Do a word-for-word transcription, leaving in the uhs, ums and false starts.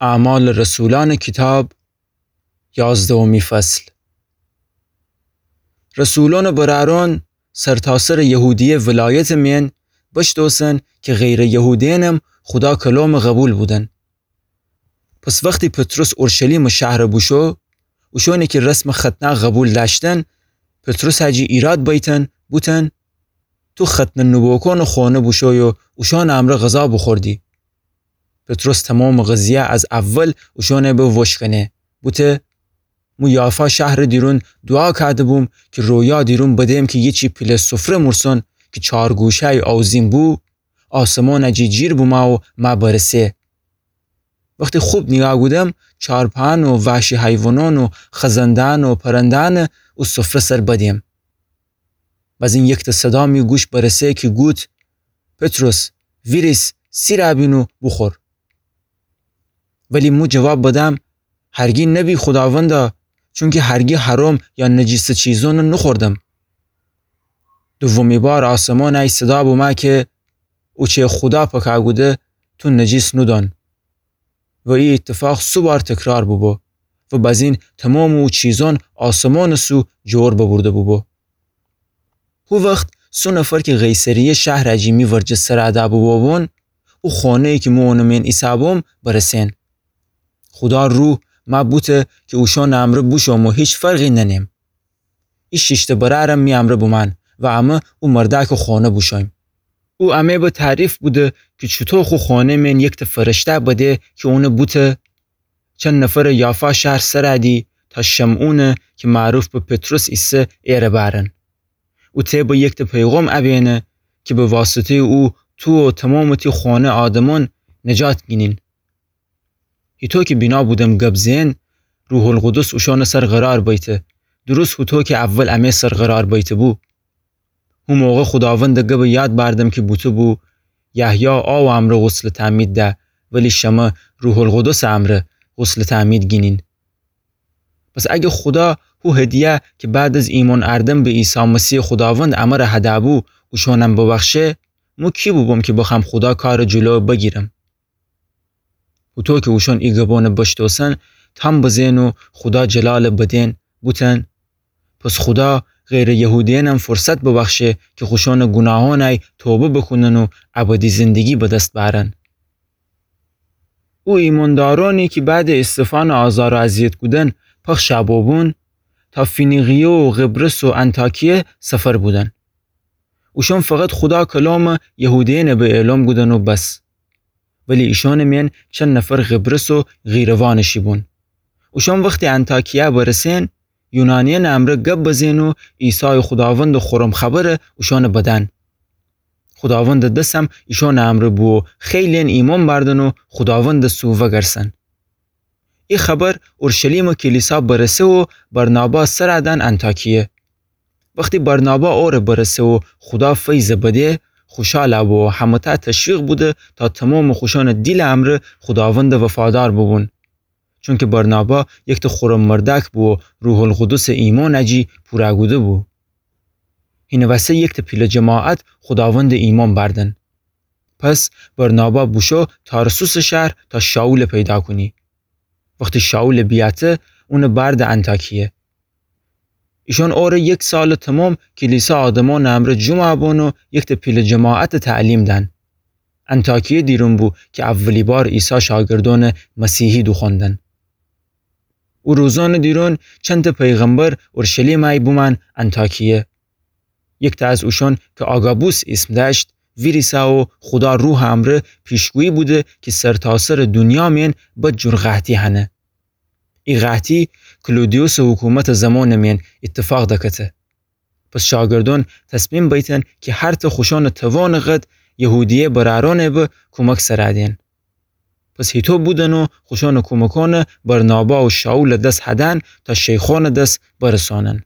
اعمال رسولان کیتاب، یازدهمی فصل. رسولونٚ برأرون سرتاسرٚ یهودیه ولایتٚ مئن بشتوسن کی غیرٚ یهودیأنم خودا کلومٚ قوبیل بودن. پس وختی پطرس اورشلیمٚ شهر بوشو، اوشونی کی رسمٚ ختنه قوبیل دأشتن، پطرسٚ جی ایراد بیتن، بوتن: تو ختنه نوبوکونٚ خونه بوشوی و اوشونٚ امرأ غذا بوخوردی. پطرس تومامٚ قضیه از اول اوشونٚ به وشکنه. بوته: مو یافا شهرٚ دیرون دوعا کأده‌بوم کی رویا دیرون بدم کی یه چی پیله سفره مورسون کی چارگوشه‌ی آوزین بو، آسمانٚ جی جیر بومه و مه برسه. وختی خوب نیگاه کودم، چارپأن و وحشی حیوانأن و خزنده‌أن و پرنده‌أن او سفره سر بدم. بزین یکته صدا می گوش برسه کی گوت: پطرس، ویریس، سیرَ بین و بوخور. ولی مو جواب بدم: هرگی نبی خوداوندا، چونکی هرگی حرام یا نجیسٚ چیزأن نوخوردم. دومی بار آسمانٚ ای صدا بومه کی اوچه خودا پکه کوده، تو نجیس نودأن. و ای ایتفاق سو بار تکرار بوبو و بزین تومامٚ او چیزأن آسمانٚ سو جور ببرده بوبو. هو وخت سو نفر کی قیصریه شهرٚ جی می ورجه سر ادا بوبوبون، او خونه‌یی کی مو اونٚ مئن ایسه‌بوم برسن. خودا روح مه بوته کی اوشونٚ امرأ بوشوم و هیچ فرقی ننم. ای شیشته برأرم می امرأ بومأن و امه او مردأکٚ خونه بوشویم. او امه به تعریف بوده کی چوطو خو خونه مئن یکته فرشته بده کی اون بوته: چند نفر یافا شهر سر ادی تا شمعونٚ کی معروف به پطرس ایسه ایره بأرن. او ته به یکته پیغام ابینه کی به واسطه‌یٚ او تو و تومامٚ تی خونه آدمأن نجات گینین. هیطو کی بینا بودم گب زئن، روح‌القدس اوشانٚ سر قرار بیته، درست هوطو کی اول امه سر قرار بیته‌بو. هو موقع خوداوندٚ گبٚ یاد بأردم کی بوته‌بو: یحیی آوٚ امرأ غسلٚ تعمید ده، ولی شمه روح‌القدسٚ امرأ غسلٚ تعمید گینین. پس اگه خودا هو هدیه کی بعد از ایمأن اردن به عیسی مسیحٚ خوداوند امره هده‌بو اوشانم ببخشه، مو کی بوبوم کی بخوأم خودا کارٚ جلو بگیرم؟ هوطو کی اوشان ای گبأنٚ بشتوسن، تام بزئن و خودا جلالٚ بدئن، بوتن: پس خودا غیرٚ یهودیأنم فرصت ببخشه کی خوشانٚ گوناهأنٚ ای توبه بوکونن و ابدی زندگی به دس بأرن. او ایمأندارأنی کی بعدٚ استفانٚ آزار و اذیت کودن پخشَ بوبون، تا فینیقیه و قبرس و انطاکیه سفر بودن. اوشان فقط خودا کلامٚ یهودیأنٚ به اعلام کودن و بس. ولی ایشانٚ مئن چند نفر قبرس و قیروانٚ شی بون. اوشان وختی انطاکیه برسئن، یونانیأنٚ امرأ گب بزئن و عیسایٚ خوداوندٚ خورم خبرٚ اوشانٚ بدن. خوداوندٚ دسم ایشانٚ امرأ بو و خیلی‌یأن ایمأن بأردن و خوداوندٚ سو وگرسن. ای خبر اورشلیمٚ کلیسا برسه و برنابا سر ادن انطاکیه. وختی برنابا اوره برسه و خودا فیضٚ بده، خوشال بو و همه‌تأ تشویق بوده تا تومامٚ خوشانٚ دیلٚ امرأ خوداوندٚ وفادار بوبون. چونکی برنابا یکته خورم مردأک بو و روح‌القدسٚ ایمأنٚ جی پورَ کوده‌بو. هینٚ وسه یکته پیله جماعت خوداوندٚ ایمأن بأردن. پس برنابا بوشو تارسوسٚ شهر تا شائولٚ پیدا کونی. وختی شائولٚ بیأته، اونٚ بأرده انطاکیه. ایشان اوره یک سالٚ تومام کلیسا آدمأنٚ امرأ جومَ بون و یکته پیله جماعتٚ تعلیم دأن. انطاکیه دیرون بو کی اولی بار عیسی شاگردأنٚ مسیحی دوخوأندن. او روزأنٚ دیرون چندتأ پیغمبر اورشلیمٚ ای بومأن انطاکیه. یکته از اوشان کی آگابوس ایسم دأشت، ویریسه و خودا روحٚ امرأ پیشگویی بوده کی سرتاسرٚ دونیا مئن بدجور قحطی هنه. ای قحطی کلودیوسٚ حکومتٚ زمانٚ مئن ایتفاق دکته. پس شاگردأن تصمیم بیتن کی هرتأ خوشانٚ توانٚ قد یهودیه برأرأنٚ به کومک سر ادن. پس هیطو بودن و خوشانٚ کومکأن برنابا و شائولٚ دس هدن تا شیخأنٚ دس برسانن.